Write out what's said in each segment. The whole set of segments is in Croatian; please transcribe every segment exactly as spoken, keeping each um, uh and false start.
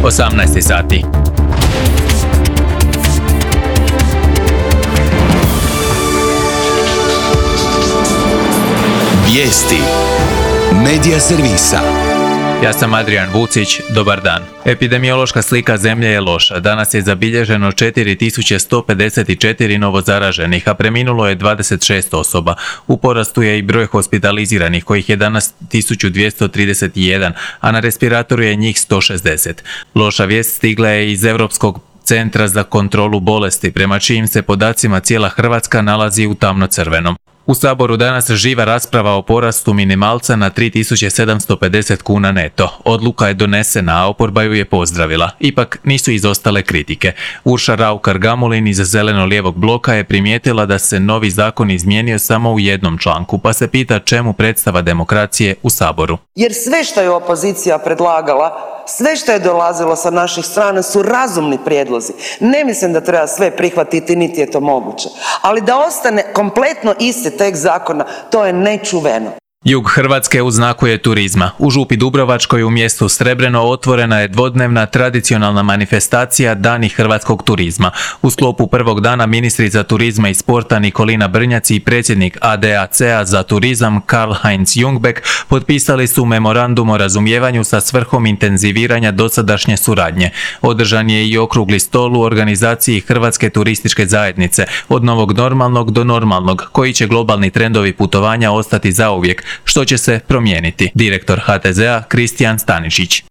osamnaest sati. Vijesti Medija servisa. Ja sam Adrian Vucić, dobar dan. Epidemiološka slika zemlje je loša. Danas je zabilježeno četiri tisuće sto pedeset četiri novo zaraženih, a preminulo je dvadeset šest osoba. U porastu je i broj hospitaliziranih, kojih je danas tisuću dvjesto trideset jedan, a na respiratoru je njih sto šezdeset. Loša vijest stigla je iz Europskog centra za kontrolu bolesti, prema čijim se podacima cijela Hrvatska nalazi u tamno-crvenom. U Saboru danas živa rasprava o porastu minimalca na tri tisuće sedamsto pedeset kuna neto. Odluka je donesena, a oporba ju je pozdravila. Ipak nisu izostale kritike. Urša Raukar-Gamulin iz Zeleno-lijevog bloka je primijetila da se novi zakon izmijenio samo u jednom članku, pa se pita čemu predstava demokracije u Saboru. Jer sve što je opozicija predlagala, sve što je dolazilo sa naših strana su razumni prijedlozi. Ne mislim da treba sve prihvatiti, niti je to moguće. Ali da ostane kompletno isti tekst zakona, to je nečuveno. Jug Hrvatske u znaku je turizma. U Župi Dubrovačkoj u mjestu Srebreno otvorena je dvodnevna tradicionalna manifestacija Dani hrvatskog turizma. U sklopu prvog dana ministrica turizma i sporta Nikolina Brnjac i predsjednik A D A C-a za turizam Karl-Heinz Jungbeck potpisali su memorandum o razumijevanju sa svrhom intenziviranja dosadašnje suradnje. Održan je i okrugli stol u organizaciji Hrvatske turističke zajednice, od novog normalnog do normalnog, koji će globalni trendovi putovanja ostati zauvijek, što će se promijeniti. Direktor H T Z-a Kristijan Stanišić.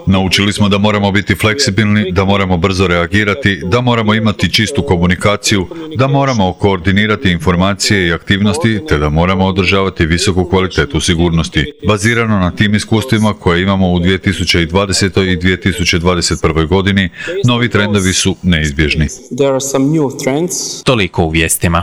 Naučili smo da moramo biti fleksibilni, da moramo brzo reagirati, da moramo imati čistu komunikaciju, da moramo koordinirati informacije i aktivnosti, te da moramo održavati visoku kvalitetu sigurnosti. Bazirano na tim iskustvima koje imamo u dvije tisuće dvadesetoj i dvije tisuće dvadeset prvoj godini, novi trendovi su neizbježni. Toliko u vijestima.